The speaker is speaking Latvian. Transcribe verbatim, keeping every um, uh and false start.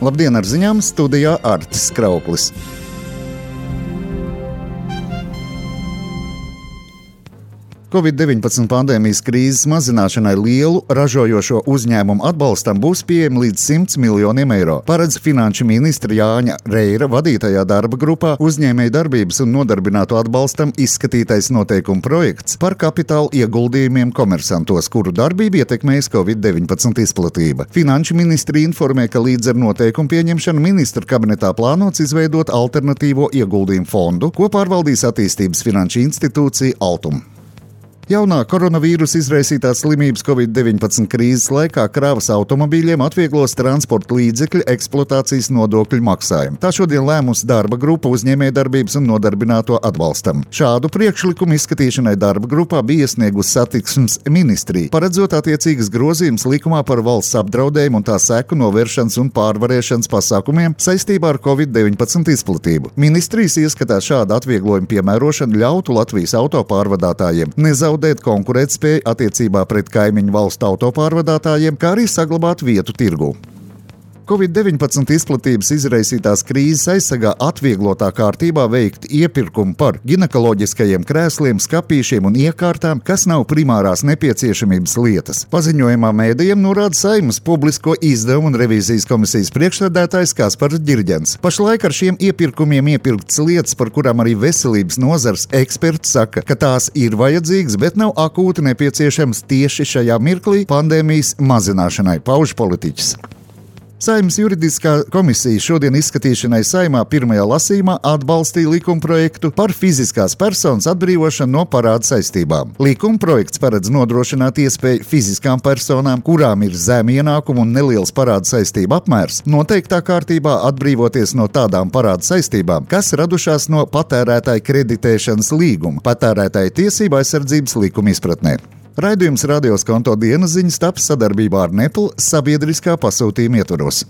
Labdien, ar ziņām studijā Artis Krauklis. covid deviņpadsmit pandēmijas krīzes mazināšanai lielu ražojošo uzņēmumu atbalstam būs pieejami līdz simts miljoniem eiro, paredz finanšu ministra Jāņa Reira vadītajā darba grupā uzņēmēju darbības un nodarbināto atbalstam izskatītais noteikumu projekts par kapitāla ieguldījumiem komersantos, kuru darbību ietekmējas covid deviņpadsmit izplatība. Finanšu ministri informē, ka līdz ar noteikumu pieņemšanu ministra kabinetā plānots izveidot alternatīvo ieguldījumu fondu, ko pārvaldīs attīstības finanšu institūcija Altum. Jaunā koronavīrusa izraisītās slimības covid deviņpadsmit krīzes laikā kravas automobīļiem atvieglos transporta līdzekļu eksploatācijas nodokļu maksājumu. Tā šodien lēmusi darba grupa uzņēmējdarbības un nodarbināto atbalstam. Šādu priekšlikumu izskatīšanai darba grupā bija iesniegusi satiksmes ministrija, paredzot attiecīgas grozījumus likumā par valsts apdraudējumu un tā seku novēršanas un pārvarēšanas pasākumiem saistībā ar covid deviņpadsmit izplatību. Ministrijas ieskatā šāda atvieglojuma piemērošana ļautu Latvijas autopārvadātājiem nezaudēt konkurētspēju attiecībā pret kaimiņu valstu autopārvadātājiem, kā arī saglabāt vietu tirgū. covid deviņpadsmit izplatības izraisītās krīzes aizsargā atvieglotā kārtībā veikt iepirkumu par ginekoloģiskajiem krēsliem, skapīšiem un iekārtām, kas nav primārās nepieciešamības lietas. Paziņojumā mēdījiem norāda Saeimas publisko izdevumu un revīzijas komisijas priekšsēdētājs Kaspars Ģirģents. Pašlaik ar šiem iepirkumiem iepirktas lietas, par kurām arī veselības nozars eksperti saka, ka tās ir vajadzīgas, bet nav akūti nepieciešams tieši šajā mirklī pandēmijas mazināšanai, pauž politiķis. Saeimas juridiskā komisija šodien izskatīšanai Saeimā pirmajā lasījumā atbalstīja likumprojektu par fiziskās personas atbrīvošanu no parāda saistībām. Likumprojekts paredz nodrošināt iespēju fiziskām personām, kurām ir zemi ienākumu un neliels parāda saistību apmērs, noteiktā kārtībā atbrīvoties no tādām parāda saistībām, kas radušās no patērētāja kreditēšanas līguma, patērētāja tiesību aizsardzības likuma izpratnē. Raidījums Radio Skonto dienas ziņas taps sadarbībā ar Nepal sabiedriskā pasūtījuma ietvaros.